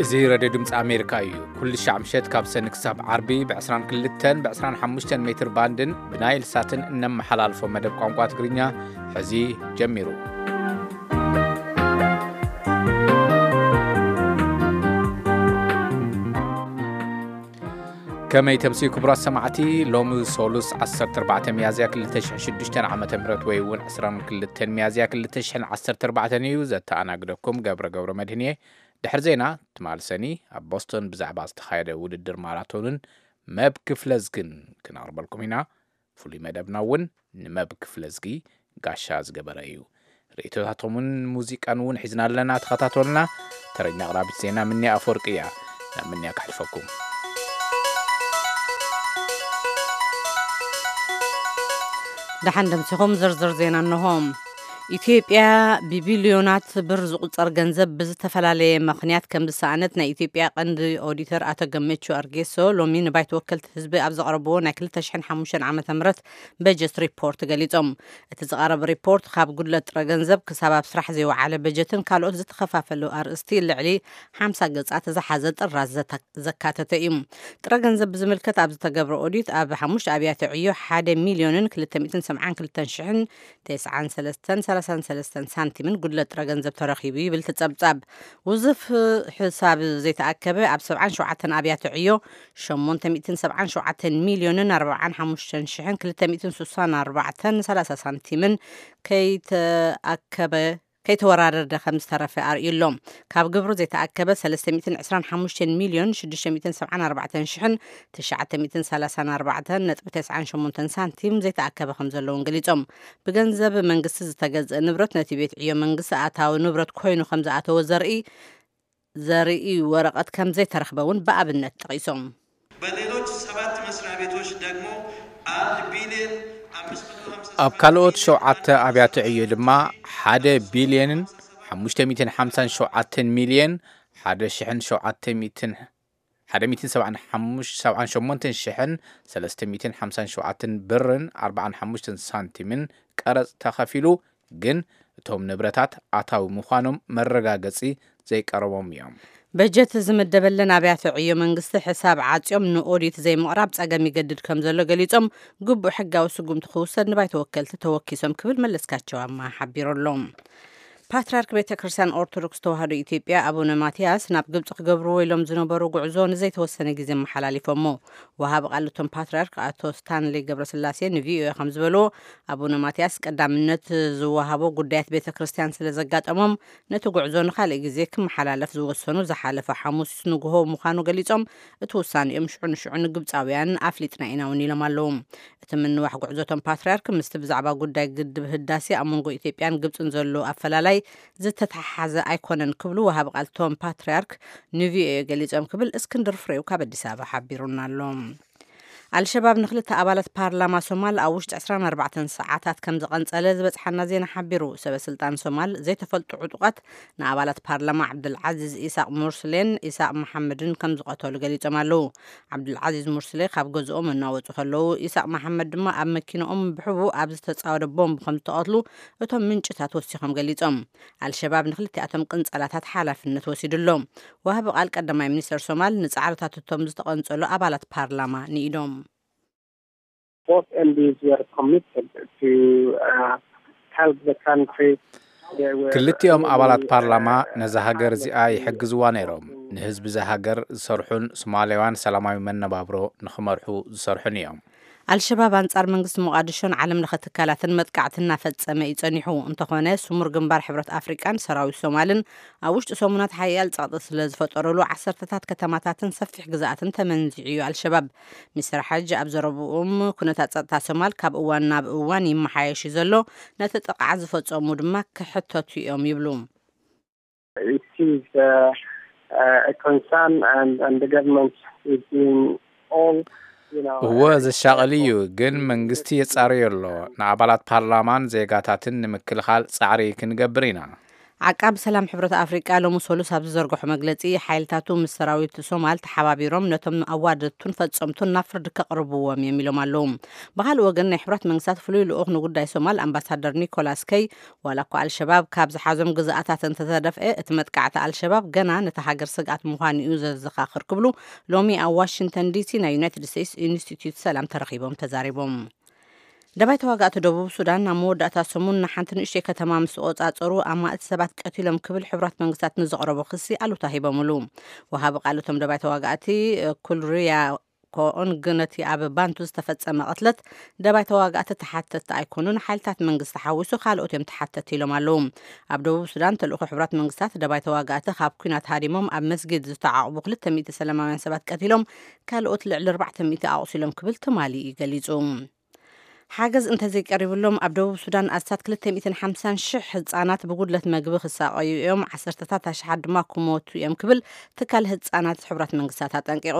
እዚ ረድዮ ድምፂ ኣሜሪካ እዩ። ኩሉ ሻዕ ምሸት ካብ ሰኒ ክሳብ ዓርቢ ብ22ን ብ25 ሜትር ባንድን ብናይል ሳትን እነመሓላልፎ መደብ ቋንቋ ትግርኛ ሕዚ ጀሚሩ። ከመይ ተምስዩ ክቡራት ሰማዕቲ? ሎሚ ሶሉስ 14 ሚያዝያ 2006 ዓመተ ምህረት ወይ እውን 22 ሚያዝያ 2014 እዩ። ዘተኣናግደኩም ገብረ ገብረ መድህን እየ። ድሕሪ ዜና ትማል ሰኒ ኣብ ቦስቶን ብዛዕባ ዝተኻየደ ውድድር ማራቶንን መብ ክፍለዝግን ክነቕርበልኩም ኢና። ፍሉይ መደብና እውን ንመብ ክፍለዝጊ ጋሻ ዝገበረ እዩ። ርእይቶታቶምን ሙዚቃን እውን ሒዝና ኣለና። ተኸታተሉና። ተረኛ ኣቕራቢት ዜና ምንያ ኣፈወርቂ እያ። ናብ ምንያ ከሕልፈኩም። ደሓን ደምሲኹም። ዝርዝር ዜና እንሆ። ኢትዮጵያ ብቢልዮናት ብር ዝቑጸር ገንዘብ ብዝተፈላለየ ምኽንያት ከም ዝሰኣነት ናይ ኢትዮጵያ ቀንዲ ኦዲተር ኣቶ ገመቹ ኣርጌሶ ሎሚ ንባይቶ ወከልቲ ህዝቢ ኣብ ዘቕረብዎ ናይ 2005 ዓመተ ምህረት በጀት ሪፖርት ገሊጾም። እቲ ዝቐረበ ሪፖርት ካብ ጉድለት ጥረ ገንዘብ ክሳብ ኣብ ስራሕ ዘይወዓለ በጀትን ካልኦት ዝተኸፋፈሉ ኣርእስቲ ልዕሊ 50 ገጻት ዝሓዘ ጥራዝ ዘተ-፣ ዘካተተ እዩ። ጥረ ገንዘብ ብዝምልከት ኣብ ዝተገብረ ኦዲት ኣብ ሓሙሽተ ኣብያተ ዕዮ ሓደ ሚልዮንን ክልተ ሚእትን ሰብዓን ክልተን ሽሕን ተስዓን ሰለስተን ሰላሳን ሰለስተን ሳንቲምን ጉድለት ጥረ ገንዘብ ተረኺቡ ይብል እቲ ጸብጻብ። ውዝፍ ሕሳብ ዘይተኣከበ ኣብ ሰብዓን ሸውዓተን ኣብያተ ዕዮ ሸሞንተ ሚእትን ሰብዓን ሸውዓተን ሚልዮንን ኣርባዓን ሓሙሽተን ሽሕን ክልተ ሚእትን ስሳን ኣርባዕተን ሰላሳ ሳንቲምን ከይተኣከበ ከይተወራረደ ከም ዝተረፈ ኣርእዩ ኣሎ። ካብ ግብሩ ዘይተኣከበ ሰለስተ ሚእትን ዕስራን ሓሙሽተን ሚልዮን ሽዱሽተ ሚእትን ሰብዓን ኣርባዕተን ሽሕን ትሽዓተ ሚእትን ሰላሳን ኣርባዕተን ነጥቢ ተስዓን ሸሞንተን ሳንቲም ዘይተኣከበ ከም ዘለውን ገሊጾም። ብገንዘብ መንግስቲ ዝተገዝአ ንብረት ነቲ ቤት ዕዮ መንግስቲ ኣታዊ ንብረት ኮይኑ ከም ዝኣተወ ዘርኢ ዘርኢ ወረቐት ከም ዘይተረኽበ እውን ብኣብነት ጠቒሶም። በሌሎች ሰባት መስሪያ ቤቶች ደግሞ አንድ ቢሊዮን አምስት መቶ ሃምሳ ሰባት ኣብ ካልኦት ሸውዓተ ኣብያተ ዕዮ ድማ ሓደ ቢልዮንን ሓሙሽተ ሚእትን ሓምሳን ሸውዓተን ሚልዮን ሓደ ሽሕን ሸውዓተ ሚእትን ሓደ ሚእትን ሰብዓን ሓሙሽተ ሰብዓን ሸሞንተን ሽሕን ሰለስተ ሚእትን ሓምሳን ሸውዓተን ብርን ኣርባዓን ሓሙሽተን ሳንቲምን ቀረጽ ተኸፊሉ፣ ግን እቶም ንብረታት ኣታዊ ምዃኖም መረጋገጺ ዘይቀረቦም እዮም። በጀት ዝምደበለን ኣብያተ ዕዮ መንግስቲ ሕሳብ ዓጽዮም ንኦዲት ዘይምቕራብ ጸገም ይገድድ ከም ዘሎ ገሊጾም፣ ግቡእ ሕጋዊ ስጉምቲ ክውሰድ ንባይቶ ወከልቲ ተወኪሶም ክብል መለስካቸው ኣማ ሓቢሩ ኣሎ። ፓትርያርክ ቤተ ክርስቲያን ኦርቶዶክስ ተዋህዶ ኢትዮጵያ ኣቡነ ማትያስ ናብ ግብጺ ክገብርዎ ኢሎም ዝነበሩ ጉዕዞ ንዘይተወሰነ ግዜ መሓላሊፎሞ። ወሃቢ ቃል እቶም ፓትርያርክ ኣቶ ስታንሌ ገብረስላሴ ንቪኦኤ ከም ዝበልዎ፣ ኣቡነ ማትያስ ቀዳምነት ዝወሃቦ ጉዳያት ቤተ ክርስቲያን ስለ ዘጋጠሞም፣ ነቲ ጉዕዞ ንኻልእ ግዜ ክመሓላለፍ ዝወሰኑ ዝሓለፈ ሓሙስ ንግሆ ምዃኑ ገሊጾም፣ እቲ ውሳኔኦም ሽዑ ንሽዑ ንግብጻውያን ኣፍሊጥና ኢና እውን ኢሎም ኣለዉ። እቲ ምንዋሕ ጉዕዞ እቶም ፓትርያርክ ምስቲ ብዛዕባ ጉዳይ ግድብ ህዳሴ ኣብ መንጎ ኢትዮጵያን ግብጽን ዘሎ ኣፈላላይ ዝተተሓሓዘ ኣይኮነን ክብሉ ወሃቢ ቃል እቶም ፓትርያርክ ንቪኦኤ ገሊጾም ክብል እስክንድር ፍሬው ካብ ኣዲስ ኣበባ ሓቢሩና ኣሎ። ኣልሸባብ ንክልተ ኣባላት ፓርላማ ሶማል ኣብ ውሽጢ ዕስራን ኣርባዕተን ሰዓታት ከም ዝቐንጸለ ዝበጽሓና ዜና ሓቢሩ። ሰበ ስልጣን ሶማል ዘይተፈልጡ ዕጡቓት ንኣባላት ፓርላማ ዓብዱልዓዚዝ ኢሳቅ ሙርስሌን ኢሳቅ መሓመድን ከም ዝቐተሉ ገሊጾም ኣለዉ። ዓብዱልዓዚዝ ሙርስሌ ካብ ገዝኦም እናወጹ ከለዉ፣ ኢሳቅ መሓመድ ድማ ኣብ መኪንኦም ብሕቡእ ኣብ ዝተጻወደ ቦምብ ከም ዝተቐትሉ እቶም ምንጭታት ወሲኾም ገሊጾም። ኣልሸባብ ንክልቲኣቶም ቅንጸላታት ሓላፍነት ወሲዱ ኣሎ። ወሃቢ ቃል ቀዳማይ ሚኒስተር ሶማል ንጻዕርታት እቶም ዝተቐንጸሉ ኣባላት ፓርላማ ንኢዶም። Both M Ps were committed to, uh, help the country. They were ክልቲኦም ኣባላት really, ፓርላማ uh, ነዛ ሃገር እዚኣ ይሕግዝዋ ነይሮም። ንህዝቢ እዛ ሃገር ዝሰርሑን ሶማላውያን ሰላማዊ መነባብሮ ንኽመርሑ ዝሰርሑን እዮም። ኣልሸባብ ኣንጻር መንግስቲ ሞቓዲሾን ዓለም ለኸ ትካላትን መጥቃዕቲ እናፈጸመ እዩ ጸኒሑ። እንተኾነ፣ ስሙር ግንባር ሕብረት ኣፍሪቃን ሰራዊት ሶማልን ኣብ ውሽጢ ሰሙናት ሓያል ጸቕጢ ስለ ዝፈጠረሉ፣ ዓሰርተታት ከተማታትን ሰፊሕ ግዝኣትን ተመንዚዑ እዩ ኣልሸባብ። ሚስተር ሓጅ ኣብ ዘረብኦም፣ ኩነታት ጸጥታ ሶማል ካብ እዋን ናብ እዋን ይመሓየሽ እዩ ዘሎ፣ ነቲ ጥቕዓት ዝፈጸሙ ድማ ክሕተቱ እዮም ይብሉ። It is, uh, uh, a concern and, and the government is doing all, you know, እወ፣ uh, ዘሻቕል እዩ፣ ግን መንግስቲ የጻርዮ ኣሎ። ንኣባላት ፓርላማን ዜጋታትን ንምክልኻል ጻዕሪ ክንገብር ኢና። ዓቃብ ሰላም ሕብረት ኣፍሪቃ ሎሚ ሰሉስ ኣብ ዝዘርግሖ መግለጺ፣ ሓይልታቱ ምስ ሰራዊት ሶማል ተሓባቢሮም ነቶም ኣዋደድቱን ፈጸምቱን ናብ ፍርዲ ከቕርብዎም እዮም ኢሎም ኣለዉ። ብኻልእ ወገን፣ ናይ ሕብረት መንግስታት ፍሉይ ልኡኽ ንጉዳይ ሶማል ኣምባሳደር ኒኮላስ ከይ፣ ዋላ እኳ ኣልሸባብ ካብ ዝሓዞም ግዝኣታት እንተተደፍአ፣ እቲ መጥቃዕቲ ኣልሸባብ ገና ነታ ሃገር ስግኣት ምዃኑ እዩ ዘዘኻኽር ክብሉ ሎሚ ኣብ ዋሽንግተን ዲሲ ናይ ዩናይትድ ስቴትስ ኢንስቲትዩት ሰላም ተረኺቦም ተዛሪቦም። ደባይ ተዋጋእቲ ደቡብ ሱዳን ኣብ መወዳእታ ሰሙን ንሓንቲ ንእሽተይ ከተማ ምስ ተቖጻጸሩ፣ ኣማእት ሰባት ቀቲሎም ክብል ሕቡራት መንግስታት ንዘቕረቦ ክሲ ኣሉታ ሂቦምሉ። ወሃቢ ቃል እቶም ደባይ ተዋጋእቲ ኩልሪያ ኮኦንግ ነቲ ኣብ ባንቱ ዝተፈጸመ ቅትለት ደባይ ተዋጋእቲ ተሓተቲ ኣይኮኑን፣ ሓይልታት መንግስቲ ሓዊሱ ካልኦት እዮም ተሓተቲ ኢሎም ኣለዉ። ኣብ ደቡብ ሱዳን ተልእኾ ሕቡራት መንግስታት ደባይ ተዋጋእቲ ካብ ኲናት ሃዲሞም ኣብ መስጊድ ዝተዓቑቡ ክልተ ሚእቲ ሰላማውያን ሰባት ቀቲሎም፣ ካልኦት ልዕሊ ኣርባዕተ ሚእቲ ኣቑሲሎም ክብል ትማሊ እዩ ገሊጹ። ሓገዝ እንተዘይቀሪብሎም፣ ኣብ ደቡብ ሱዳን ኣስታት ክልተ ሚእትን ሓምሳን ሽሕ ህጻናት ብጉድለት መግቢ ክሳቐዩ እዮም፣ ዓሰርተታት ኣሽሓት ድማ ክሞቱ እዮም ክብል ትካል ህጻናት ሕቡራት መንግስታት ኣጠንቂቑ።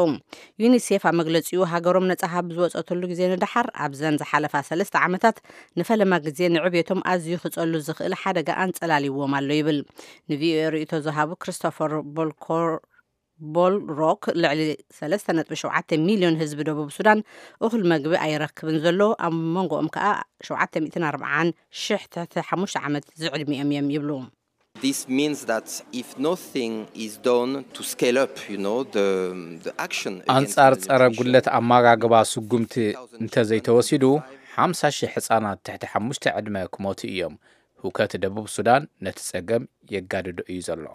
ዩኒሴፍ ኣብ መግለጺኡ፣ ሃገሮም ነጻ ካብ ዝወጸትሉ ግዜ ንደሓር ኣብዘን ዝሓለፋ ሰለስተ ዓመታት ንፈለማ ግዜ ንዕብየቶም ኣዝዩ ክጸሉ ዝኽእል ሓደጋ ኣንጸላልይዎም ኣሎ ይብል። ንቪኦኤ ርእይቶ ዝሃቡ ክሪስቶፈር ቦልኮር ቦል ሮክ፣ ልዕሊ ሰለስተ ነጥቢ ሸውዓተ ሚልዮን ህዝቢ ደቡብ ሱዳን እኹል መግቢ ኣይረክብን ዘሎ፣ ኣብ መንጎኦም ከኣ ሸውዓተ ሚእትን ኣርባዓን ሽሕ ትሕቲ ሓሙሽተ ዓመት ዝዕድሚኦም እዮም ይብሉ። This means that if nothing is done to scale up, you know, the, the action against ኣንጻር ጸረ malnutrition, ጉድለት ኣመጋግባ ስጉምቲ እንተዘይተወሲዱ፣ ሓምሳ ሺሕ ህጻናት ትሕቲ ሓሙሽተ ዕድመ ክሞቱ እዮም። ህውከት ደቡብ ሱዳን ነቲ ጸገም የጋድዶ እዩ ዘሎ።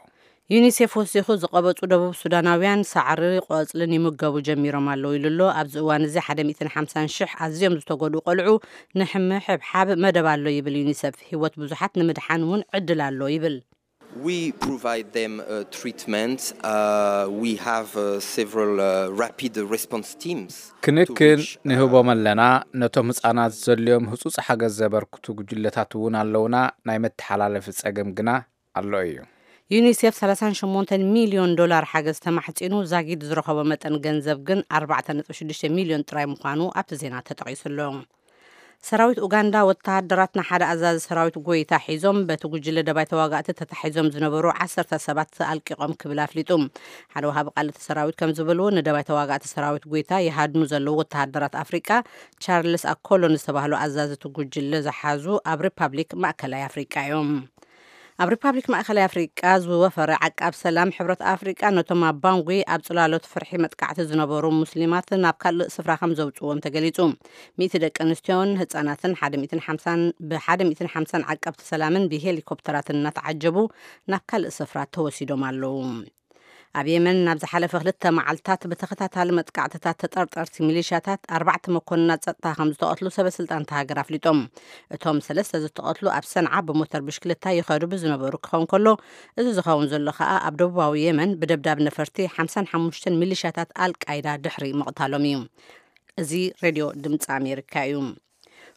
ዩኒሴፍ ወሲኹ፣ ዝቐበጹ ደቡብ ሱዳናውያን ሳዕሪ፣ ቆጽልን ይምገቡ ጀሚሮም ኣለዉ ኢሉ ኣሎ። ኣብዚ እዋን እዚ ሓደ ሚእትን ሓምሳን ሽሕ ኣዝዮም ዝተጎድኡ ቆልዑ ንሕምሕብሓብ መደብ ኣሎ ይብል ዩኒሴፍ። ህይወት ብዙሓት ንምድሓን እውን ዕድል ኣሎ ይብል። We provide them uh, treatment. Uh, we have uh, several uh, rapid response teams. ክንክን ንህቦም ኣለና። ነቶም ህጻናት ዘድልዮም ህጹጽ ሓገዝ ዘበርክቱ ጉጅለታት እውን ኣለውና። ናይ መተሓላለፊ ጸገም ግና ኣሎ እዩ። ዩኒሴፍ ሰላሳን ሸሞንተን ሚልዮን ዶላር ሓገዝ ተማሕጺኑ፣ ዛጊድ ዝረኸቦ መጠን ገንዘብ ግን ኣርባዕተ ነጥቢ ሽዱሽተ ሚልዮን ጥራይ ምዃኑ ኣብቲ ዜና ተጠቒሱ ኣሎ። ሰራዊት ኡጋንዳ፣ ወተሃደራት ንሓደ ኣዛዚ ሰራዊት ጎይታ ሒዞም በቲ ጉጅለ ደባይ ተዋጋእቲ ተታሒዞም ዝነበሩ ዓሰርተ ሰባት ኣልቂቖም ክብል ኣፍሊጡ። ሓደ ወሃቢ ቃል እቲ ሰራዊት ከም ዝበልዎ፣ ንደባይ ተዋጋእቲ ሰራዊት ጎይታ ይሃድኑ ዘለዉ ወተሃደራት ኣፍሪቃ ቻርልስ ኣኮሎ ንዝተባህሉ ኣዛዚ እቲ ጉጅለ ዝሓዙ ኣብ ሪፓብሊክ ማእከላይ ኣፍሪቃ እዮም። ኣብ ሪፓብሊክ ማእከላይ ኣፍሪቃ ዝወፈረ ዓቃብ ሰላም ሕብረት ኣፍሪቃ፣ ነቶም ኣብ ባንጉ ኣብ ጽላሎት ፍርሒ መጥቃዕቲ ዝነበሩ ሙስሊማት ናብ ካልእ ስፍራ ከም ዘውጽዎም ተገሊጹ። ሚእቲ ደቂ ኣንስትዮን ህጻናትን ሓደ ሚእትን ሓምሳን፣ ብ ሓደ ሚእትን ሓምሳን ዓቀብቲ ሰላምን ብሄሊኮፕተራትን እናተዓጀቡ ናብ ካልእ ስፍራ ተወሲዶም ኣለዉ። ኣብ የመን፣ ናብ ዝሓለፈ ክልተ መዓልታት ብተኸታታሊ መጥቃዕትታት ተጠርጠርቲ ሚሊሻታት ኣርባዕተ መኮንናት ጸጥታ ከም ዝተቐትሉ ሰበስልጣን እታ ሃገር ኣፍሊጦም። እቶም ሰለስተ ዝተቐትሉ ኣብ ሰንዓ ብሞተር ብሽክለታ ይኸዱ ብዝነበሩ ክኸውን ከሎ፣ እዚ ዝኸውን ዘሎ ከኣ ኣብ ደቡባዊ የመን ብደብዳብ ነፈርቲ ሓምሳን ሓሙሽተን ሚሊሻታት ኣልቃይዳ ድሕሪ ምቕታሎም እዩ። እዚ ሬድዮ ድምፂ ኣሜሪካ እዩ።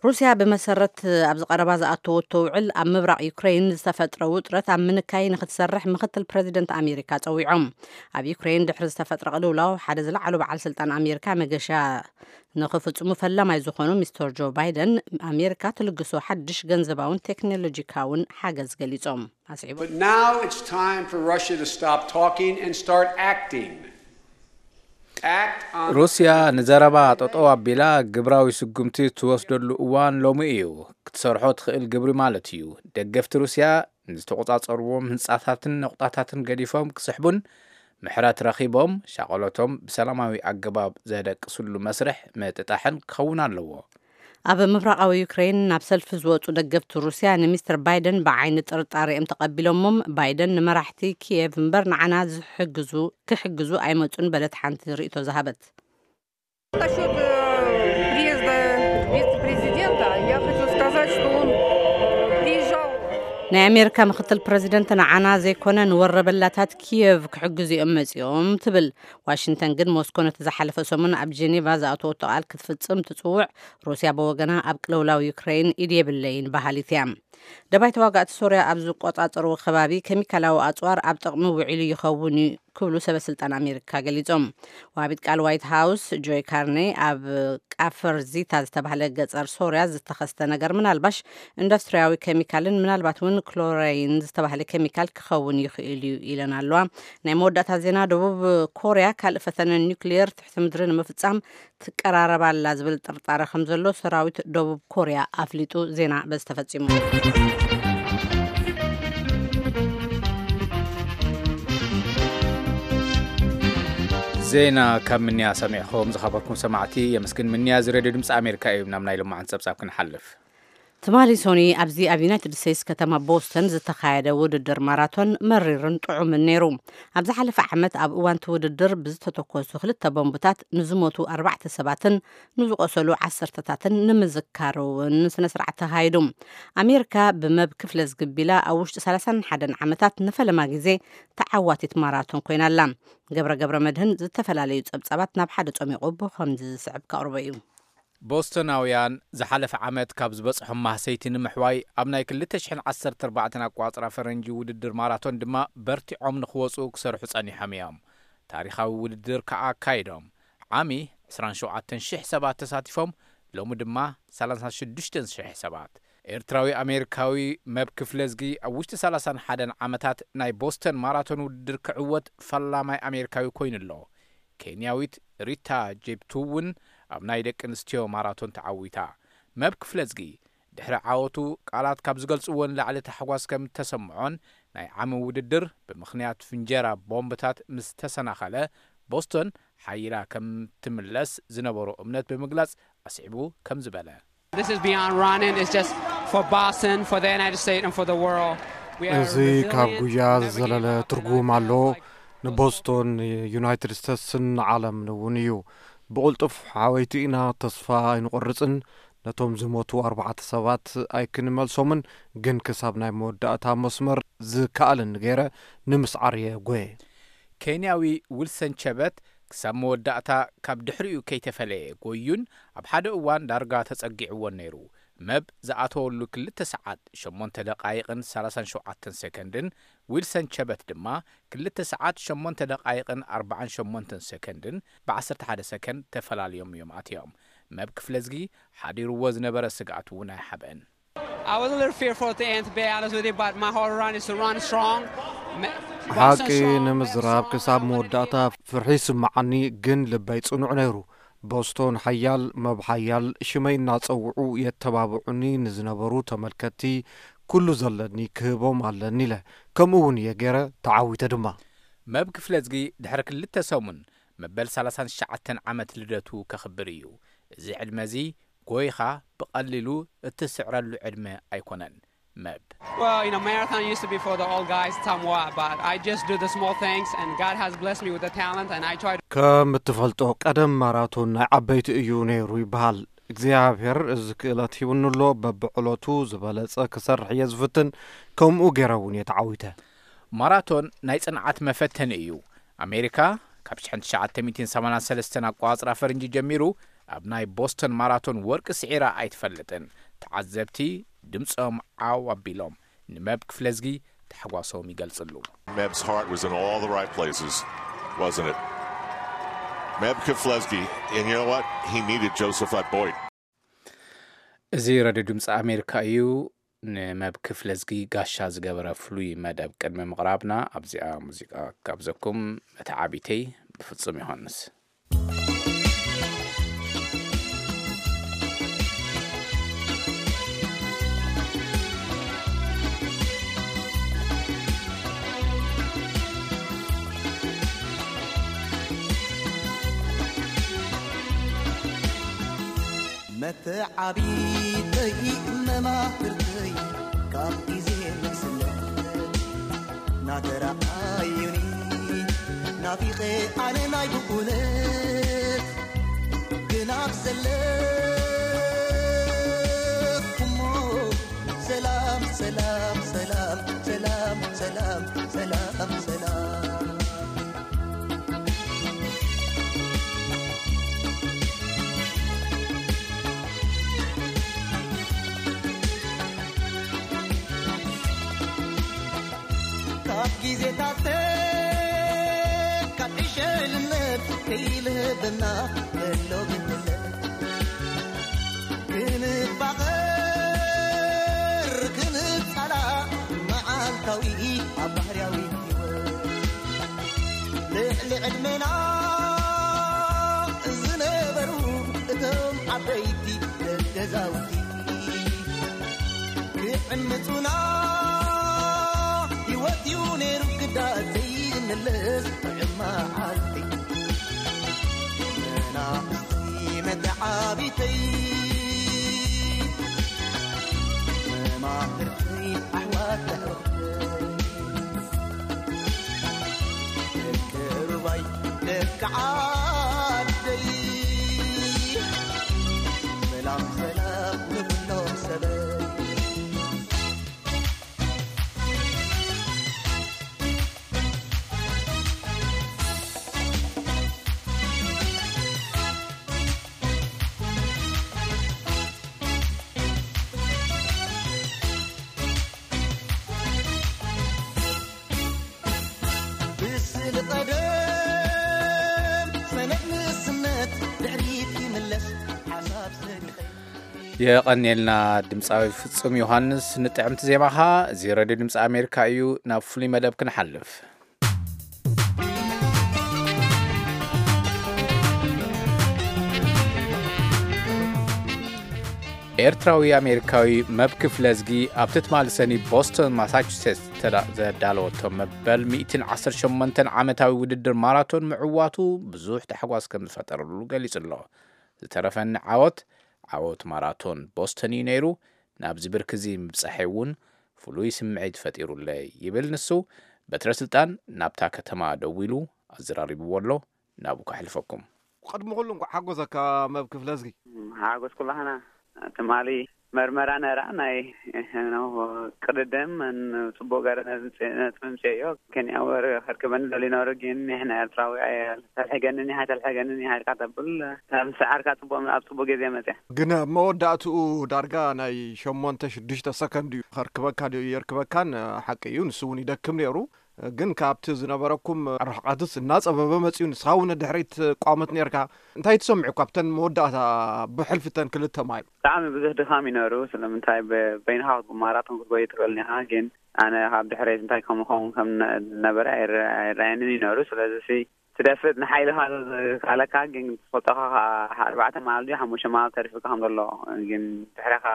ሩስያ ብመሰረት ኣብዚ ቀረባ ዝኣተወቶ ውዕል፣ ኣብ ምብራቕ ዩክሬን ዝተፈጥረ ውጥረት ኣብ ምንካይ ንክትሰርሕ ምክትል ፕረዚደንት ኣሜሪካ ጸዊዖም። ኣብ ዩክሬን ድሕሪ ዝተፈጥረ ቅልውላው፣ ሓደ ዝለዓሉ በዓል ስልጣን ኣሜሪካ መገሻ ንክፍጽሙ ፈላማይ ዝኾኑ ሚስተር ጆ ባይደን፣ ኣሜሪካ ትልግሶ ሓድሽ ገንዘባውን ቴክኖሎጂካውን ሓገዝ ገሊጾም። ኣስዒቦም። But now it's time for Russia to stop talking and start acting. Act on ሩስያ ንዘረባ ጠጠው ኣቢላ ግብራዊ ስጉምቲ ትወስደሉ እዋን ሎሚ እዩ። ክትሰርሖ ትኽእል ግብሪ ማለት እዩ። ደገፍቲ ሩስያ ንዝተቖጻጸርዎም ህንጻታትን ነቑጣታትን ገዲፎም ክስሕቡን፣ ምሕረት ረኺቦም ሻቐሎቶም ብሰላማዊ ኣገባብ ዘደቅስሉ መስርሕ ምጥጣሕን ክኸውን ኣለዎ። ኣብ ምብራቓዊ ዩክሬን ናብ ሰልፊ ዝወጹ ደገፍቲ ሩስያ፣ ንሚስተር ባይደን ብዓይኒ ጥርጣሬ እዮም ተቐቢሎሞም። ባይደን ንመራሕቲ ኪየቭ እምበር ንዓና ዝሕግዙ ክሕግዙ ኣይመጹን በለት ሓንቲ ርእይቶ ዝሃበት። Насчет э, приезда вице-президента, я хочу сказать, что он приезжал. ናይ ኣሜሪካ ምክትል ፕረዚደንት ንዓና ዘይኮነ ንወረበላታት ኪየቭ ክሕግዙ እዮም መጺኦም ትብል። ዋሽንግተን ግን፣ ሞስኮ ነቲ ዝሓለፈ ሰሙን ኣብ ጄኔቫ ዝኣተወቶ ቃል ክትፍጽም ትጽውዕ። ሩስያ ብወገና፣ ኣብ ቅልውላው ዩክሬን ኢድ የብለይን በሃሊት እያ። ደባይ ተዋጋእቲ ሶርያ ኣብ ዝቆጻጸርዎ ከባቢ፣ ኬሚካላዊ ኣጽዋር ኣብ ጥቕሚ ውዒሉ ይኸውን እዩ ክብሉ ሰበ ስልጣን ኣሜሪካ ገሊጾም። ወሃቢት ቃል ዋይት ሃውስ ጆይ ካርኔ ኣብ ቃፈር ዚታ ዝተባህለ ገጸር ሶርያ ዝተኸስተ ነገር ምናልባሽ ኢንዱስትሪያዊ ኬሚካልን ምናልባት እውን ክሎራይን ዝተባህለ ኬሚካል ክኸውን ይኽእል እዩ ኢለን ኣለዋ። ናይ መወዳእታ ዜና። ደቡብ ኮርያ ካልእ ፈተነ ኒውክሊየር ትሕቲ ምድሪ ንምፍጻም ትቀራረብ ኣላ ዝብል ጥርጣረ ከም ዘሎ ሰራዊት ደቡብ ኮርያ ኣፍሊጡ። ዜና በዚ ተፈጺሙ። ዜና ካብ ምንያ ሰሚዕኹም ዝኸበርኩም ሰማዕቲ የመስግን። ምንያ እዚ ሬድዮ ድምፂ ኣሜሪካ እዩ። ናብ ናይ ሎማዓንቲ ፀብፃብ ክንሓልፍ። ትማሊ ሶኒ ኣብዚ ኣብ ዩናይትድ ስቴትስ ከተማ ቦስተን ዝተኻየደ ውድድር ማራቶን መሪርን ጥዑምን ነይሩ። ኣብ ዝሓለፈ ዓመት ኣብ እዋን እቲ ውድድር ብዝተተኮሱ ክልተ ቦምብታት ንዝሞቱ ኣርባዕተ ሰባትን ንዝቆሰሉ ዓሰርተታትን ንምዝካር እውን ስነ ስርዓት ተኻይዱ። ኣሜሪካ ብመብ ክፍለ ዝግቢላ ኣብ ውሽጢ ሰላሳን ሓደን ዓመታት ንፈለማ ግዜ ተዓዋቲት ማራቶን ኮይና ኣላ። ገብረ ገብረ መድህን ዝተፈላለዩ ጸብጻባት ናብ ሓደ ጸሚቑ ብኸምዚ ዝስዕብ ከቕርቦ እዩ። ቦስተናውያን ዝሓለፈ ዓመት ካብ ዝበጽሖም ማህሰይቲ ንምሕዋይ ኣብ ናይ ክልተ ሽሕን ዓሰርተ ኣርባዕተን ኣቋጽራ ፈረንጂ ውድድር ማራቶን ድማ በርቲዖም ንኽወጹ ክሰርሑ ጸኒሖም እዮም። ታሪኻዊ ውድድር ከኣ ኣካይዶም። ዓሚ ዕስራን ሸውዓተን ሽሕ ሰባት ተሳቲፎም፣ ሎሚ ድማ ሰላሳ ሽዱሽተ ሽሕ ሰባት። ኤርትራዊ ኣሜሪካዊ መብ ክፍለዝጊ ኣብ ውሽጢ ሰላሳን ሓደን ዓመታት ናይ ቦስተን ማራቶን ውድድር ክዕወት ፈላማይ ኣሜሪካዊ ኮይኑ ኣሎ። ኬንያዊት ሪታ ጄፕቱ እውን ኣብ ናይ ደቂ ኣንስትዮ ማራቶን ተዓዊታ። መብ ክፍለዝጊ ድሕሪ ዓወቱ ቃላት ካብ ዝገልጽዎ ንላዕሊ ታሕጓስ ከም እተሰምዖን ናይ ዓሚ ውድድር ብምኽንያት ፍንጀራ ቦምብታት ምስ ተሰናኸለ ቦስቶን ሓይላ ከም ትምለስ ዝነበሮ እምነት ብምግላጽ ኣስዒቡ ከም ዝበለ። This is beyond running. It's just for Boston, for the United States, and for the world. We are እዚ ካብ resilient. ጉያ ዝዘለለ ትርጉም ኣሎ። ንቦስቶን፣ ዩናይትድ ስቴትስን ንዓለምን እውን እዩ። ብቕልጡፍ ሓወይቲ ኢና፣ ተስፋ ኣይንቆርጽን። ነቶም ዝሞቱ ኣርባዕተ ሰባት ኣይክንመልሶምን፣ ግን ክሳብ ናይ መወዳእታ መስመር ዝከኣለኒ ገይረ ንምስዓር እየ ጎየ። ኬንያዊ ዊልሰን ቸበት ክሳብ መወዳእታ ካብ ድሕሪኡ ከይተፈለየ ጎዩን ኣብ ሓደ እዋን ዳርጋ ተጸጊዕዎን ነይሩ። መብ ዝኣተወሉ ክልተ ሰዓት ሸሞንተ ደቓይቕን ሰላሳን ሸውዓተን ሰከንድን፣ ዊልሰን ቸበት ድማ ክልተ ሰዓት ሸሞንተ ደቓይቕን ኣርባዓን ሸሞንተን ሰከንድን ብዓሰርተ ሓደ ሰከንድ ተፈላልዮም እዮም ኣትዮም። መብ ክፍለዝጊ ሓዲርዎ ዝነበረ ስግኣት እውን ኣይሓብአን። I was a little fearful at the end, to be honest with you, but my whole run is to run strong. Me- ሓቂ Boston strong, ንምዝራብ ክሳብ መወዳእታ ፍርሒ ይስምዓኒ፣ ግን ልበይ ጽኑዕ ነይሩ። ቦስቶን ሓያል፣ መብ ሓያል፣ ሽመይ እናጸውዑ የተባብዑኒ ንዝነበሩ ተመልከትቲ ኩሉ ዘለኒ ክህቦም ኣለኒ ኢለ። ከምኡ እውን እየ ገይረ፣ ተዓዊተ ድማ። መብ ክፍለዝጊ ድሕሪ ክልተ ሰሙን መበል ሰላሳን ትሽዓተን ዓመት ልደቱ ከኽብር እዩ። እዚ ዕድመ እዚ ጎይኻ ብቐሊሉ እትስዕረሉ ዕድመ ኣይኮነን። መብ Well, you know, marathon used to be for the old guys, somewhat, but I just do the small things, and God has blessed me with the talent, and I try to ከም እትፈልጦ ቀደም ማራቶን ናይ ዓበይቲ እዩ ነይሩ ይበሃል። እግዚኣብሔር እዚ ክእለት ሂቡኒ ኣሎ። በብዕለቱ ዝበለጸ ክሰርሕ እየ ዝፍትን። ከምኡ ገይረ እውን እየ ተዓዊተ። ማራቶን ናይ ጽንዓት መፈተኒ እዩ። ኣሜሪካ ካብ ሽሕን ትሽዓተ ሚእትን ሰማንያን ሰለስተን ኣቋጽራ ፈረንጂ ጀሚሩ ኣብ ናይ ቦስተን ማራቶን ወርቂ ስዒራ ኣይትፈልጥን። ተዓዘብቲ ድምጾም ዓው ኣቢሎም ንመብ ክፍለዝጊ ታሕጓሶም ይገልጽሉ። Meb's heart was in all the right places, wasn't it? Meb Keflezighi, and you know what? He needed Joseph Boyd. እዚ ረድዮ ድምፂ ኣሜሪካ እዩ። ንመብ ክፍለዝጊ ጋሻ ዝገበረ ፍሉይ መደብ ቅድሚ ምቕራብና ኣብዚኣ ሙዚቃ ካብዘኩም መተዓቢተይ ብፍጹም ዮሃንስ። መተዓቢተይ መማህርተይ ካብ ግዜ ንግስነት ናተረኣዩኒ ናፊቐ ኣነ ናይ ብኡነት ግን ኣብ ዘለኹሞ ሰላም ሰላም ሰላም ሰላም ሰላም ሰላም ሰላም። ካብ ግዜታተይ ከይልህበና ዘሎ ግንነት ክንፋቐር ክንጻላእ መዓልታዊ ኣብ ባህርያዊ ህይወት ልዕሊ ዕድመና ዝነበሩ እቶም ዓበይቲ ገዛውቲ ክዕምጹና ህይወት እዩ ነይሩ ግዳ ዘይምለስ ጥዑም መዓልቲ መናእሰይ መተዓቢተይ መማህርተይ ኣሕዋት ኣሕዋተይ ደቂ ሩባይ ደቂ ዓደይ ሰላም ሰላም ንኹሎም ሰበይ ብስሊ ቀደም ሰነድ ንእስነት ድሕሪት ይምለስ ሓሳብ ሰሪቐ የቐንየልና ድምፃዊ ፍጹም ዮሃንስ ንጥዕምቲ ዜማኻ። እዚ ሬድዮ ድምፂ ኣሜሪካ እዩ። ናብ ፍሉይ መደብ ክንሓልፍ። ኤርትራዊ ኣሜሪካዊ መብ ክፍለዝጊ ኣብቲ ትማሊ ሰኒ ቦስቶን ማሳቹሴትስ ተዳ- ዘዳለወቶ መበል ሚእትን ዓሰርተ ሸሞንተን ዓመታዊ ውድድር ማራቶን ምዕዋቱ ብዙሕ ታሕጓስ ከም ዝፈጠረሉ ገሊጹ ኣሎ። ዝተረፈኒ ዓወት ዓወት ማራቶን ቦስተን እዩ ነይሩ። ናብዚ ብርኪ እዚ ምብጻሐይ እውን ፍሉይ ስምዒት ፈጢሩለይ ይብል ንሱ። በትረ ስልጣን ናብታ ከተማ ደዊሉ ኣዘራሪብዎ ኣሎ። ናብኡ ከሕልፈኩም። ቅድሚ ኩሉ እንኳዕ ሓጎሰካ መብ ክፍለ ዝጊ። ሓጎስ ኩላህና። ትማሊ መርመራ ነራ ናይ ነው ቅድድም ጽቡቅ ገረ ነጽምጽዮ ኬንያ ወር ከርከበኒ ደሊ ነሩ ግን ንሕና ኤርትራዊ ኣየ ተልሕገንን ይሃ ተልሕገንን ይሃ ኢልካ ተብል። ምስዓርካ ጽቡቅ ኣብ ጽቡቅ ግዜ መጽያ። ግን ኣብ መወዳእትኡ ዳርጋ ናይ ሸሞንተ ሽዱሽተ ሰከንድ እዩ ከርክበካ ድዩ የርክበካን ሓቂ እዩ። ንሱ እውን ይደክም ነይሩ። ግን ካብቲ ዝነበረኩም ርሕቀትስ እናጸበበ መጽዩ። ንስኻ እውን ድሕሪት ቋመት ነርካ። እንታይ ትሰምዑ ካብተን መወዳእታ ብሕልፊተን ክልተ ማይል? ብጣዕሚ ብዙሕ ድኻም ይነሩ። ስለምንታይ በይንኻ ማራቶን ክትጎይ ትኽእል ኒኻ። ግን ኣነ ካብ ድሕሬት እንታይ ከምኸውን ከም ነበረ ኣይረኣየንን ይነሩ። ስለዚ ትደፍእ ንሓይልኻ ዝካለካ ግን ትፈልጦኻ ኣርባዕተ መዓል ድዩ ሓሙሽተ መዓል ተሪፉካ ከም ዘሎ። ግን ድሕሬኻ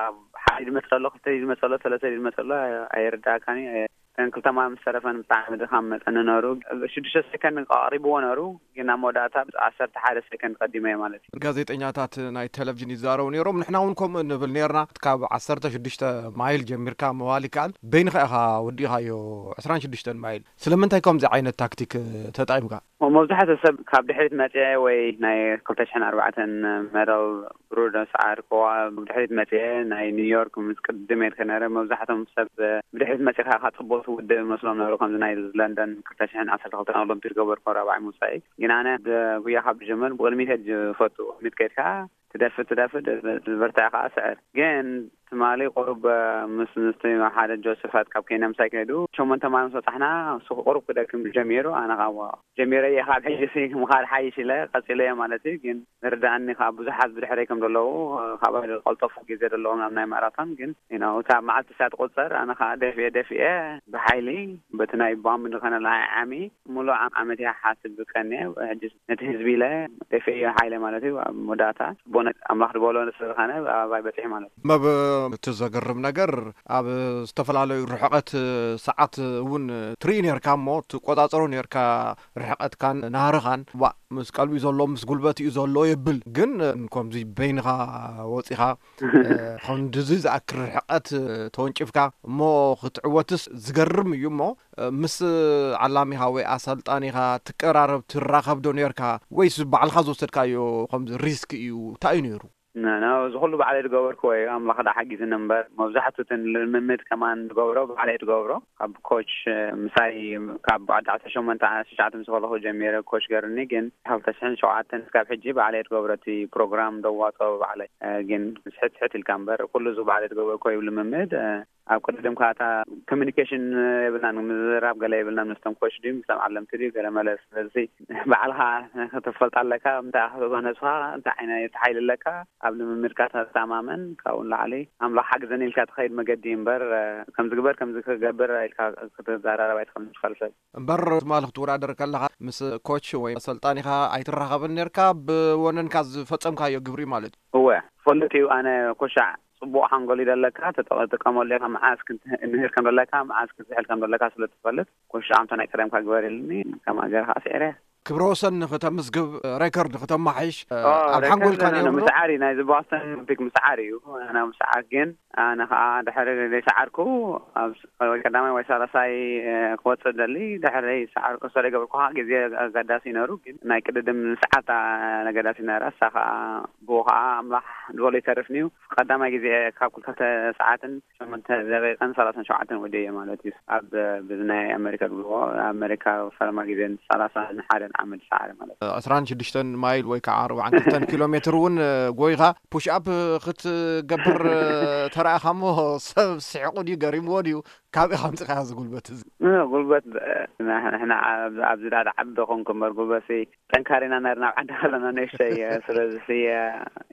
ሓደ ድመፅ ኣሎ ክልተ ድመፅ ኣሎ ሰለስተ ድመፅ ኣሎ ኣይርዳእካን እዩ። ተን ክልተ መዓል ምስ ተረፈን ብጣዕሚ ድኻም መፀኒ ነሩ። ሽዱሽተ ሰከንድ ኣቕሪብዎ ነሩ። ግን ኣብ መወዳእታ ዓሰርተ ሓደ ሰከንድ ቀዲመ ማለት እዩ። ጋዜጠኛታት ናይ ቴሌቪዥን ይዛረቡ ነይሮም። ንሕና እውን ከምኡ ንብል ነርና። ካብ ዓሰርተ ሽዱሽተ ማይል ጀሚርካ ምባል ይከኣል። በይንኻ ኢኻ ወዲእኻዮ ዕስራን ሽዱሽተን ማይል። ስለምንታይ ከምዚ ዓይነት ታክቲክ ተጠቒምካ? መብዛሕትኡ ሰብ ካብ ድሕሪት መፅአ ወይ ናይ ክልተ ሽሕን ኣርባዕተን መዳል ብሩር ደምስዓ ርከዋ ብድሕሪት መፅአ ናይ ኒውዮርክ ምስ ቅድም የልከ ነረ። መብዛሕቶም ሰብ ብድሕሪት መፂኻ ኢኻ ፅቡቅ ትውድእ መስሎም ነሩ። ከምዚ ናይ ለንደን ክልተ ሽሕን ዓሰርተ ክልተን ኦሎምፒክ ገበርኮ ራብዓይ ምውፃኢ። ግን ኣነ ጉያ ካብ ዝጀመር ብቅድሚት እየ ዝፈቱ። ቅድሚት ከይድካ ትደፍእ ትደፍእ ዝበርትዐ ከዓ ስዕር። ግን ትማሊ ቁሩብ ምስ ምስቲ ሓደ ጆሰፋት ካብ ኬንያ ምሳይ ከይዱ ሸሞንተ ማል ምስ በፃሕና እሱ ቁሩብ ክደክም ጀሚሩ። ኣነ ከዓ ጀሚረ እየ ካብ ሕጂ ሲ ምኻድ ሓይሽ ኢለ ቀፂለ እየ ማለት እዩ። ግን ዝርዳእኒ ካብ ብዙሓት ብድሕረይ ከም ዘለዉ ካብኣ ዝቀልጠፉ ግዜ ዘለዎም ኣብ ናይ ማራቶን ግን you know እታ መዓልቲ እሳ ትቁፀር ኣነ ከዓ ደፊኤ ደፊኤ ብሓይሊ በቲ ናይ ባምብ ዝኾነ ለሃይ ዓሚ ሙሉእ ዓመት እያ ሓስብ ቀንየ። ሕጂ ነቲ ህዝቢ ኢለ ደፊኤ ሓይለ ማለት እዩ። ኣብ መወዳእታ ጽቡቅ ኣምላኽ ዝበሎ ስለዝኾነ ኣባይ በፂሑ ማለት እዩ። መብ እቲ ዘገርም ነገር ኣብ ዝተፈላለዩ ርሕቀት ሰዓት እውን ትርኢ ነርካ እሞ ትቆጻጸሮ ነርካ ርሕቀትካን ናህርኻን። ዋ ምስ ቀልቢ ዘሎ ምስ ጉልበት እዩ ዘሎ የብል ግን ከምዚ በይንኻ ወፂኻ እ፣ ክንድዚ ዝኣክል ርሕቀት ተወንጭፍካ እሞ ክትዕወትስ ዝገርም እዩ እሞ እ፣ ምስ ዓላሚኻ ወይ ኣሰልጣኒኻ ትቀራረብ ትራኸብ ዶ ነርካ ወይስ ባዕልኻ ዝወሰድካዮ ከምዚ ሪስክ እዩ እንታይ እዩ ነይሩ? ነ- ነ- እዚ ኩሉ ባዕለይ ዝገበርክዎ እዩ። ኣምላኽ ዳ ሓጊዝኒ እምበር መብዛሕትኡ እቲ ልምምድ ከማን ዝገብሮ ባዕለይ ዝገብሮ ካብ ኮች እ፣ ምሳይ ካብ ዓዲ ዓሰርተ ሸሞንተ ዓሰርተ ትሽዓተ ምስ ከለኹ ጀሚረ ኮች ገርኒ ግን ካብ ክልተ ሽሕን ሸውዓተን እስካብ ሕጂ ባዕለይ ዝገብሮ እቲ ፕሮግራም ደዋፅኦ ባዕለይ እ፣ ግን ስሕት ስሕት ኢልካ እምበር ኩሉ እዚ ባዕለይ ዝገበርክዎ እዩ ልምምድ እ፣ ኣብ ቅድድም ከዓ እታ ኮሚኒኬሽን የብልናን፣ ምዝራብ ገለ የብልናን። ምስቶም ኮች ድዩ፣ ምስቶም ዓለምቲ ድዩ፣ ገለ መለ። ስለዚ ባዕልኻ ክትፈልጥ ኣለካ። እንታይ ክትብሎ ነብስኻ፣ እንታይ ዓይነት ሓይሊ ኣለካ፣ ኣብ ልምምድካ ተተማመን። ካብኡ ንላዕሊ ኣምላኽ ሓግዘኒ ኢልካ ትኸይድ መገዲ እምበር፣ ከምዚ ግበር፣ ከምዚ ክገብር ኢልካ ክትዘራረብ ኣይትኽእልን ትፈልጥ ሰብ። እምበር ትማሊ ክትወዳደር ከለኻ ምስ ኮች ወይ ኣሰልጣኒኻ ኣይትራኸብን ነርካ፣ ብወነንካ ዝፈጸምካዮ ግብሪ ማለት እዩ። እወ፣ ትፈልጥ እዩ። ኣነ ኮሻዕ ጽቡቕ ሓንጎል እዩ ዘለካ፣ ተጠ-፣ ትጥቀመሉ ኢኻ። መዓዝ ክንት-፣ ንህር ከም ዘለካ፣ መዓዝ ክትዝሕል ከም ዘለካ ስለ ትፈልጥ፣ ኮሻዕ ኣምቶ ናይ ቀደምካ ግበር ኢልኒ፣ ከምኣ ገይረ ከዓ ስዒረ። ክብረ ወሰን ንክተምዝግብ፣ ሬከርድ ንክተማሓይሽ፣ ኦ፣ ኣብ ሬከርድ ሓንጎልካ ነይሩ ዶ? ምስዓር እዩ፣ ናይዚ ቦስተን ኦሎምፒክ ምስዓር እዩ። ኣነ ምስዓር ግን፣ ኣነ ከዓ ድሕሪ ዘይሰዓርኩ፣ ኣብ ስ-፣ ወይ ቀዳማይ ወይ ሳልሳይ፣ እ፣ ክወፅእ ደሊ፣ ድሕሪ ዘይሰዓርኩ፣ ሰለ ገብርኩ ከዓ ግዜ ኣገዳሲ ነሩ፣ ግን ናይ ቅድድም ሰዓት ኣገዳሲ ነራ፣ እሳ ከዓ ብኡ ከዓ ኣምላኽ ዝበሎ ይተርፍኒ እዩ። ቀዳማይ ግዜ ካብ ክልተ ሰዓትን ሸሞንተ ደቂቕን ሰላሳን ሸውዓተን ወዲኤ ማለት እዩ። ኣብ፣ ብናይ ኣመሪካ ዝብልዎ፣ ኣመሪካ ፈለማ ግዜ ሰላሳን ሓደን ዓመት ሰዓረ ማለት እዩ። ዕስራን ሽዱሽተን ማይል ወይ ከዓ ኣርባዓን ክልተን ኪሎ ሜትር እውን ጎይኻ ፑሽ ኣፕ ክትገብር ተራእኻ እሞ ሰብ ስሒቑ ድዩ ገሪምዎ ድዩ? ካበይ ኣምፂኻዮ እዚ ጉልበት እዚ? እ፣ ጉልበት፣ እ፣ ንሕና ኣብ-፣ ኣብዚ ዳ ዓዲ ዶ ኮንኩ እምበር ጉልበትሲ ጠንካሪና ነርና ኣብ ዓዲ ከለና ንእሽተይ እየ። ስለዚ እየ፣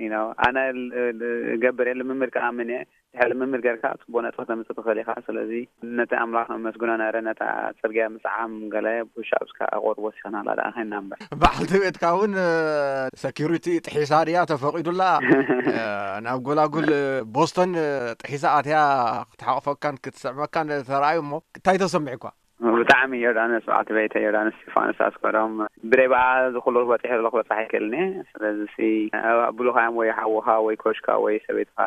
you know፣ ኣነ ል-፣ ል-፣ እገብር እየ፣ ልምምድ ከኣምን እየ። ድሕሪ ልምምድ ጌርካ ጽቡቕ ነጥቢ ተምጽእ ትኽእል ኢኻ። ስለዚ ነቲ ኣምላኽ ነመስግኖ ነረ፣ ነታ ጽርግያ ምስዓም ገለ ፑሽ ኣፕስ ከኣ ቁሩብ ወሲኽናላ ደኣ ኸይንና እምበር። በዓልቲ ቤትካ እውን፣ እ፣ ሰኪሪቲ ጥሒሳ ድያ ተፈቒዱላ? እ፣ ናብ ጎላጉል፣ እ፣ ቦስቶን፣ እ፣ ጥሒሳ ኣትያ ክትሓቕፈካን ክትስዕመካን ተራእዩ እሞ እንታይ ተሰሚዕኳ? ብጣዕሚ ዮርዳኖስ፣ በዓልቲ ቤተይ ዮርዳኖስ እስጢፋኖስ ኣስገዶም፣ ብደይ በኣ እዚ ኩሉ ክበጽሕ ዘለኹ ክበጽሕ ኣይክእልን እየ። ስለዚ ሲ፣ ኣቡሉኻ እዮም ወይ ሓውኻ ወይ ኮሽካ ወይ ሰበይትኻ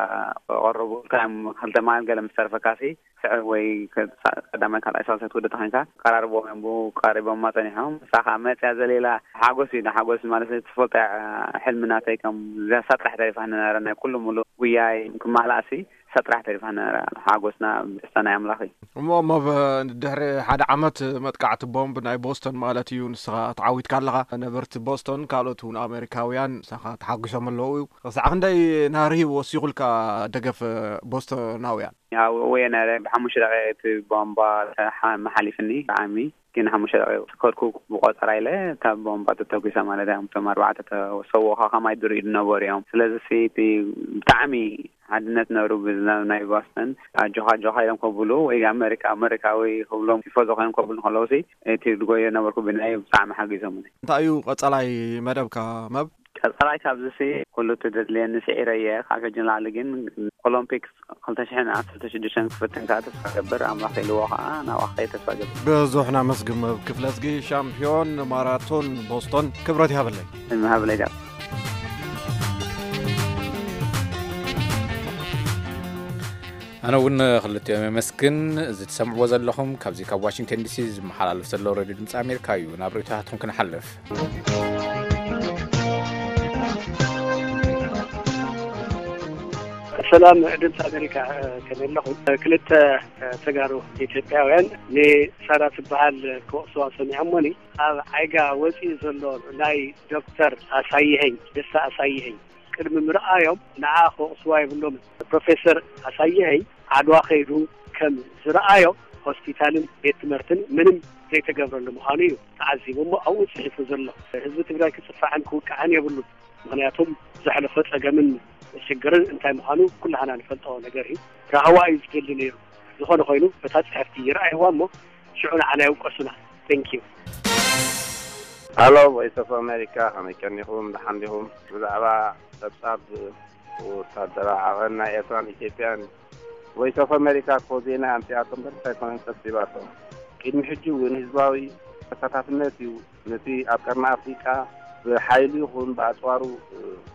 ክቐርቡ ኢልካ እዮም፣ ክልተ ማል ገለ ምስ ተረፈካ ሲ፣ ስዕብ ወይ ከ-፣ ቀዳማይ ካልኣይ ሳልሳይ ትውድእ ተኾይንካ ቀራርቦም እዮም፣ ብኡ ቀሪቦማ ጸኒሖም። ንሳ ኸኣ መጽያ ዘሌላ ሓጎስ እዩ፣ ሓጎስ ማለት ትፈልጦ እያ፣ ሕልሚ ናተይ ከም እዛ ጥራሕ ተሪፋ ነበረ፣ ናይ ኩሉ ሙሉእ ጉያይ ክማልኣ ሲ፣ እሳ ጥራሕ ተሪፋ ነበረ። ሓጎስና ደስታ ናይ ኣምላኽ እዩ። እሞ፣ እሞ ብ-፣ ድሕሪ ሓደ ዓመት መጥቃዕቲ ቦምብ ናይ ቦስቶን ማለት እዩ፣ ንስኻ ተዓዊትካ ኣለኻ። ነበርቲ ቦስቶን ካልኦት እውን ኣሜሪካውያን ንስኻ ተሓጒሶም ኣለዉ እዩ። ክሳዕ ክንደይ ናህሪ ወሲኹልካ ደገፍ ቦስቶናውያን? ያው እየ ነረ ብሓሙሽተ ደቂቕ እቲ ቦምባ ተሓ-፣ መሓሊፍኒ ብጣዕሚ። ግን ሓሙሽተ ደቂቕ ከድኩ ብቆጸራ ኢለ እታ ቦምባ ተተኩሳ ማለት እያ። እቶም ኣርባዕተ ተሰውኦኻ ከማይ ድርኡ ዝነበሩ እዮም። ስለዚ ሲ እቲ ብጣዕሚ ሓድነት ነሩ ብዝና-፣ ናይ ቦስተን ኣጆኻ ኣጆኻ ኢሎም ከብሉ ወይ ኣመሪካ ኣመሪካዊ ክብሎም ቲፎዞ ኮይኖም ከብሉ ከለዉ ሲ እቲ ዝጎዮ ነበርኩ ብናይ ብጣዕሚ ሓጊዞምኒ። እንታይ እዩ ቀጻላይ መደብካ መብ? ቀጻላይ ካብዚ ሲ ኩሉ እቲ ዘድልየኒ ስዒረ እየ። ካብ ሕጂ ንላዕሊ ግን ኦሎምፒክስ ክልተ ሽሕን ዓሰርተ ሽዱሽተን ክፍትን ከኣ ተስፋ ገብር፣ ኣምላኽ ኢልዎ ከኣ ናብኣ ክኸይድ ተስፋ ገብር። ብዙሕ ናመስግን መብ ክፍለዝጊ፣ ሻምፒዮን ማራቶን ቦስቶን፣ ክብረት ይሃበለይ። ይሃበለይ ዳብ። ኣነ እውን ክልቲኦም የመስግን። እዚ ትሰምዕዎ ዘለኹም ካብዚ ካብ ዋሽንግተን ዲሲ ዝመሓላለፍ ዘሎ ሬድዮ ድምፂ ኣሜሪካ እዩ። ናብ ርእይቶታትኩም ክንሓልፍ። ሰላም ድምፂ ኣሜሪካ፣ ከመይ ኣለኹም? ክልተ ተጋሩ ኢትዮጵያውያን ንሳራ ትበሃል ክወቕስዋ ሰሚዖሞኒ። ኣብ ዓይጋ ወፂኡ ዘሎ ናይ ዶክተር ኣሳይሀኝ፣ ደስታ ኣሳይሀኝ፣ ቅድሚ ምርኣዮም ንዓ ክወቕስዋ የብሎምን። ፕሮፌሰር ኣሳይሀኝ ዓድዋ ከይዱ ከም ዝረኣዮ ሆስፒታልን ቤት ትምህርትን ምንም ዘይተገብረሉ ምዃኑ እዩ ተዓዚቡ እሞ ኣብኡ ጽሒፉ ዘሎ። ህዝቢ ትግራይ ክጽፋዕን ክውቃዕን የብሉን። ምኽንያቱም ዘሕለፎ ጸገምን ሽግርን እንታይ ምዃኑ ኩላህና ንፈልጦ ነገር እዩ። ራህዋ እዩ ዝደሊ ነይሩ። ዝኾነ ኮይኑ በታ ጽሕፍቲ ይረኣይዋ እሞ ሽዑ ንዓና ይውቀሱና። Thank you። ሃሎ ቮይስ ኦፍ ኣሜሪካ፣ ከመይ ቀኒኹም? ደሓን ዲኹም? ብዛዕባ ጸብጻብ ወታደራዊ ዓቐን ናይ ኤርትራን ኢትዮጵያን ቮይስ ኦፍ ኣሜሪካ እኮ ዜና ኣምጺኣቶ እምበር እንታይ ኮነ ጸብጺባቶ። ቅድሚ ሕጂ እውን ህዝባዊ ተሳታፍነት እዩ ነቲ ኣብ ቀርኒ ኣፍሪቃ ብሓይሉ ይኹን ብኣጽዋሩ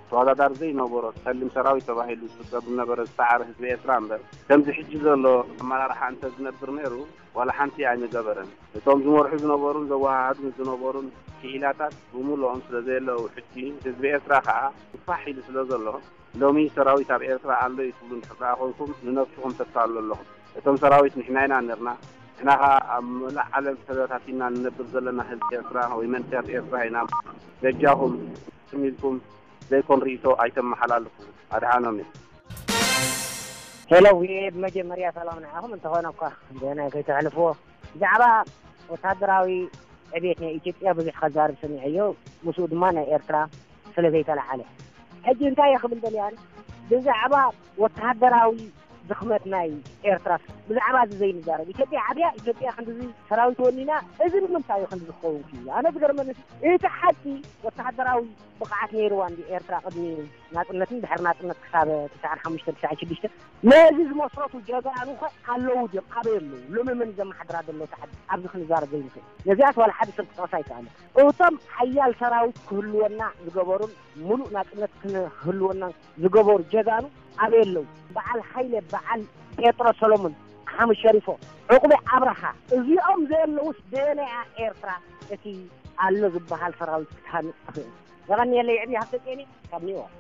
ተወዳዳሪ ዘይነበሮ ጸሊም ሰራዊት ተባሂሉ ዝፍቀድ ዝነበረ ዝሰዓረ ህዝቢ ኤርትራ እምበር፣ ከምዚ ሕጂ ዘሎ ኣመራርሓ እንተ ዝነብር ነይሩ ዋላ ሓንቲ ኣይምገበረን። እቶም ዝመርሑ ዝነበሩን ዘወሃሃዱን ዝነበሩን ክኢላታት ብምልኦም ስለ ዘየለዉ፣ ሕጂ ህዝቢ ኤርትራ ከኣ ፋሕ ኢሉ ስለ ዘሎ፣ ሎሚ ሰራዊት ኣብ ኤርትራ ኣሎ እዩ ትብሉ እንድሕር ደኣ ኮይንኩም፣ ንነብስኹም ተታልሉ ኣለኹም። እቶም ሰራዊት ንሕና ኢና ነርና። ንሕና ከኣ ኣብ መላእ ዓለም ተበታቲና ንነብር ዘለና ህዝቢ ኤርትራ ወይ መንእሰያት ኤርትራ ኢና። በጃኹም ትም ኢልኩም ዘይኮን ርእይቶ ኣይተመሓላልፉ። ኣድሓኖም እዩ። ሄሎ፣ ብመጀመርያ ሰላም ንዓኹም። እንተኾነ እኳ ገና ከይተሕልፍዎ፣ ብዛዕባ ወታደራዊ ዕቤት ናይ ኢትዮጵያ ብዙሕ ከዛርብ ሰሚዐዮ፣ ምስኡ ድማ ናይ ኤርትራ ስለ ዘይተለዓለ። ሕጂ እንታይ እየ ክብል ደልያን፣ ብዛዕባ ወታደራዊ ድኽመት ናይ ኤርትራ፣ ብዛዕባ እዚ ዘይንዛረብ። ኢትዮጵያ ዓብያ፣ ኢትዮጵያ ክንድዚ ሰራዊት ወኒና፣ እዚ ንምንታይ እዩ ክንድዚ ክኸውን ክኢሉ? ኣነ ዝገርመኒ እቲ ሓቂ ወታደራዊ ብቕዓት ነይርዋ እንዲ ኤርትራ ቅድሚ ናጽነትን ድሕሪ ናጽነት ክሳብ ትስዓን ሓሙሽተ ትስዓን ሽዱሽተ ነዚ ዝመስረቱ ጀጋኑ ኸ ኣለዉ ድዮም? ኣበይ ኣለዉ? ሎሚ መን እዩ ዘመሓድራ ዘሎ እታ ዓዲ? ኣብዚ ክንዛረብ ዘይንኽእል። ነዚኣስ ዋላ ሓደ ሰብ ክጠቕሳ ኣይከኣለን። እቶም ሓያል ሰራዊት ክህልወና ዝገበሩን ምሉእ ናጽነት ክህልወና ዝገበሩ ጀጋኑ ኣበይ ኣለዉ? በዓል ሃይለ፣ በዓል ጴጥሮስ ሰሎሞን፣ ሓምድ ሸሪፎ፣ ዕቑበ ኣብርሃ፣ እዚኦም ዘየለዉስ በየናይ እያ ኤርትራ እቲ ኣሎ ዝበሃል ሰራዊት ክትሃንጽ ትኽእል? የቐንየለይ። ዕብይ ሃብተጼን ካብ ኒውዮርክ።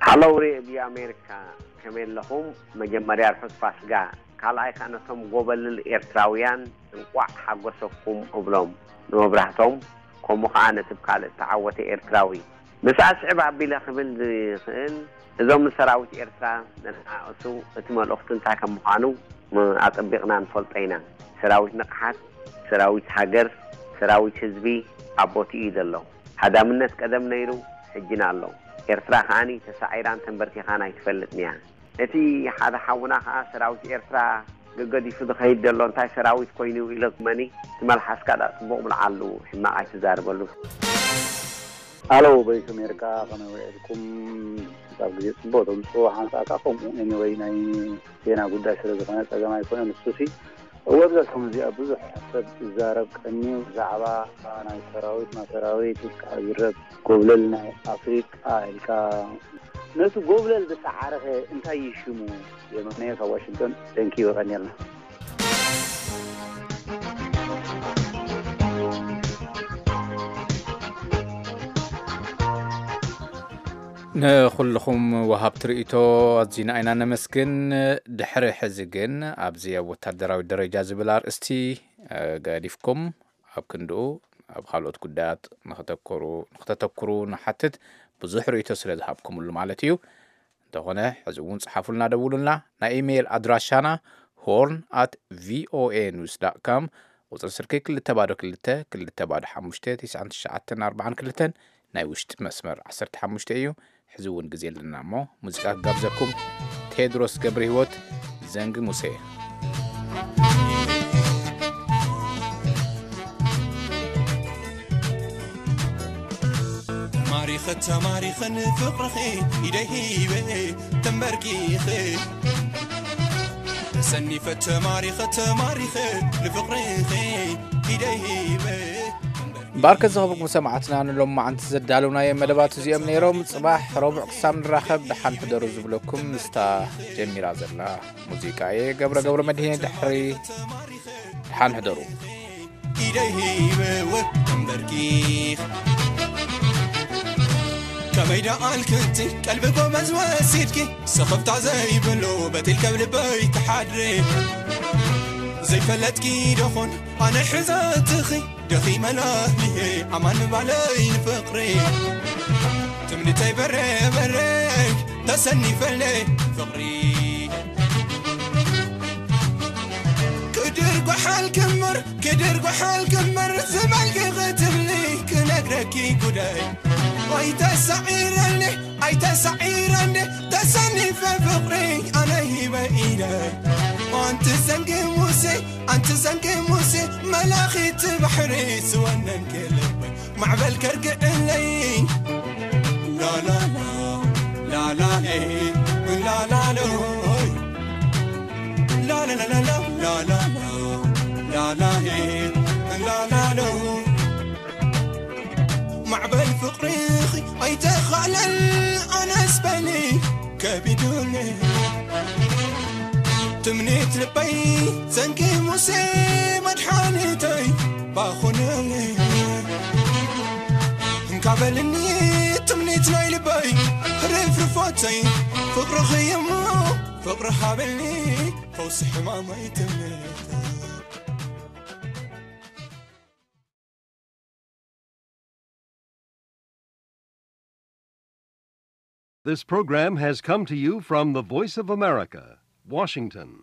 ሃሎ ሬድዮ ኣሜሪካ፣ ከመይ ኣለኹም? መጀመርያ ርሑስ ፋስጋ፣ ካልኣይ ከኣ ነቶም ጎበልል ኤርትራውያን እንቋዕ ሓጎሰኩም እብሎም፣ ንመብራህቶም፣ ከምኡ ከኣ ነቲ ብካልእ እተዓወተ ኤርትራዊ። ምስ ኣስዕብ ኣቢለ ክብል ዝኽእል፣ እዞም ንሰራዊት ኤርትራ ዘነኣእሱ፣ እቲ መልእኽቱ እንታይ ከም ምዃኑ ኣጸቢቕና ንፈልጦ ኢና። ሰራዊት ንቕሓት፣ ሰራዊት ሃገር፣ ሰራዊት ህዝቢ ኣብ ቦትኡ እዩ ዘሎ። ሃዳምነት ቀደም ነይሩ፣ ሕጂን ኣሎ። ኤርትራ ከኣኒ ተሳዒራን ተንበርኪኻን ኣይትፈልጥን እያ። እቲ ሓደ ሓውና ከኣ ሰራዊት ኤርትራ ገገዲፉ ዝኸይድ ዘሎ እንታይ ሰራዊት ኮይኑ ኢለ መኒ ትመልሓስካ ዳ ጽቡቕ ብልዓሉ፣ ሕማቕ ኣይትዛርበሉ። ኣሎ ቮይስ ኣሜሪካ ከመይ ውዒልኩም? ኣብ ግዜ ጽቡቕ ተምጽኡ ሓንሳእካ ከምኡ። ኤኒወይ ናይ ዜና ጉዳይ ስለ ዝኾነ ጸገም ኣይኮነን። ንሱሲ እወ ኣብዛ ሰሙን እዚኣ ብዙሕ ሰብ ይዛረብ ቀንዩ ብዛዕባ ናይ ሰራዊት፣ ናይ ሰራዊት ኢልካ ይረብ ጎብለል ናይ ኣፍሪቃ ኢልካ ነቲ ጎብለል ዝሰዓረኸ እንታይ እዩ ሽሙ? የማነ ካብ ዋሽንግቶን። Thank you፣ የቐንየልና። ንኹልኹም ወሃብቲ ርእይቶ ኣዚና ኢና ነመስግን። ድሕሪ ሕዚ ግን ኣብዚ ኣብ ወታደራዊ ደረጃ ዝብል ኣርእስቲ ገዲፍኩም ኣብ ክንድኡ ኣብ ካልኦት ጉዳያት ንክተኩሩ ንክተተኩሩ ንሓትት። ብዙሕ ርእይቶ ስለ ዝሃብኩምሉ ማለት እዩ። እንተኾነ ሕዚ እውን ጽሓፉልና፣ ደውሉልና። ናይ ኢሜይል ኣድራሻና ሆርን ኣት ቪኦኤ ኒውስ ዳት ካም፣ ቁጽሪ ስልኪ ክልተ ባዶ ክልተ ክልተ ባዶ ሓሙሽተ ትስዓን ትሽዓተን ኣርባዓን ክልተን፣ ናይ ውሽጢ መስመር ዓሰርተ ሓሙሽተ እዩ። ሕዚ እውን ግዜ ኣለና እሞ ሙዚቃ ክጋብዘኩም። ቴድሮስ ገብረ ህይወት፣ ዘንጊ ሙሴ። ተማሪኸ ተማሪኸ ንፍቕርኺ ኢደይ ሂበ ተንበርኪኸ ተሰኒፈ ተማሪኸ ተማሪኸ ንፍቕርኺ ኢደይ ሂበ እምበኣርከ ዝኸበርኩም ሰማዕትና፣ ንሎም መዓንቲ ዘዳለውናዮ መደባት እዚኦም ነይሮም። ጽባሕ ረቡዕ ክሳብ ንራኸብ ደሓን ሕደሩ ዝብለኩም ምስታ ጀሚራ ዘላ ሙዚቃ እየ። ገብረ ገብረ መድህን ድሕሪ ደሓን ሕደሩ። ኢደይ ሂበ ተንበርኪኽ ከመይ ደኣልክቲ ቀልቢ ጎመዝ ወሲድኪ ስኽፍታ ዘይብሉ በቲል ከብልበይ ትሓድሪ ዘይፈለጥኪ ደኹን ኣነ ሕዘትኺ ደኺመ ላህሊሄ ኣማን ምባለይ ንፍቕሪ ትምኒተይ በረ በረ ተሰኒፈለ ፍቕሪ ክድር ጓሓል ክምር ክድር ጓሓል ክምር ዝበልኪ ክትብሊ ክነግረኪ ጉዳይ ኣይተሳዒረኒ ኣይተሳዒረኒ ተሰኒፈ ፍቕሪ ኣነ ሂበ ኢደ ኣንቲ ዘንጊ ሙሴ ኣንቲ ዘንጊ ሙሴ መላኺት ባሕሪ ዝወነንኪ ልበይ ማዕበል ከርግእለይ ላላላ ላላሌ ላላሎ ላላላላ ላላላ ላላሌ ላላሎ ማዕበል ፍቕርኺ ኣይተኻለን ኣነስ በሊ ከቢዱኒ ትምኒት ልበይ ዘንጊ ሙሴ መድሓኒተይ ባኹነኒ እንካ በልኒ ትምኒት ናይ ልበይ ርፍርፎተይ ፍቕርኺ እሞ ፍቕሪ ሃበኒ ፈውሲ ሕማመይ ትምኒተይ This program has come to you from the Voice of America, Washington.